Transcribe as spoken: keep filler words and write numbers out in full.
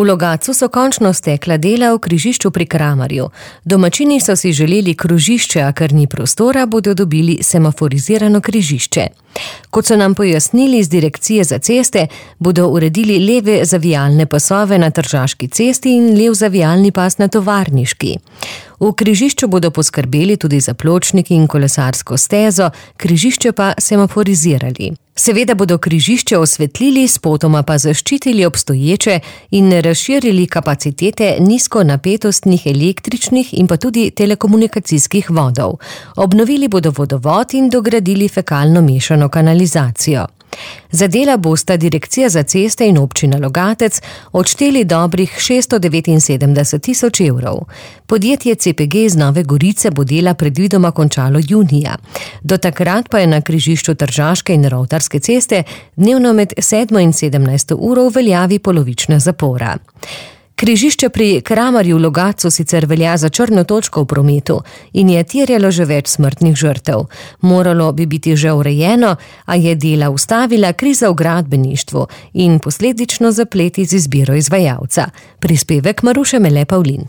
V Logatcu so končno stekla dela v križišču pri Kramarju. Domačini so si želeli krožišče, a ker ni prostora, bodo dobili semaforizirano križišče. Kot so nam pojasnili z Direkcije za ceste, bodo uredili leve zavijalne pasove na Tržaški cesti in lev zavijalni pas na Tovarniški. V križišču bodo poskrbeli tudi za pločnik in kolesarsko stezo, križišče pa semaforizirali. Seveda bodo križišče osvetlili, spotoma pa zaščitili obstoječe in razširili kapacitete nizkonapetostnih električnih in pa tudi telekomunikacijskih vodov. Obnovili bodo vodovod in dogradili fekalno mešano kanalizacijo. Za dela bosta Direkcija za ceste in občina Logatec odšteli dobrih šeststo devetinsedemdeset tisoč evrov. Podjetje C P G iz Nove Gorice bo dela predvidoma končalo junija. Do takrat pa je na križišču Tržaške in Rovtarske ceste dnevno med sedmo in sedemnajsto uro v veljavi polovična zapora. Križišče pri Kramarju v Logatcu sicer velja za črno točko v prometu in je terjalo že več smrtnih žrtev. Moralo bi biti že urejeno, a je dela ustavila kriza v gradbeništvu in posledično zapleti z izbiro izvajalca. Prispevek Maruše Mele Pavlin.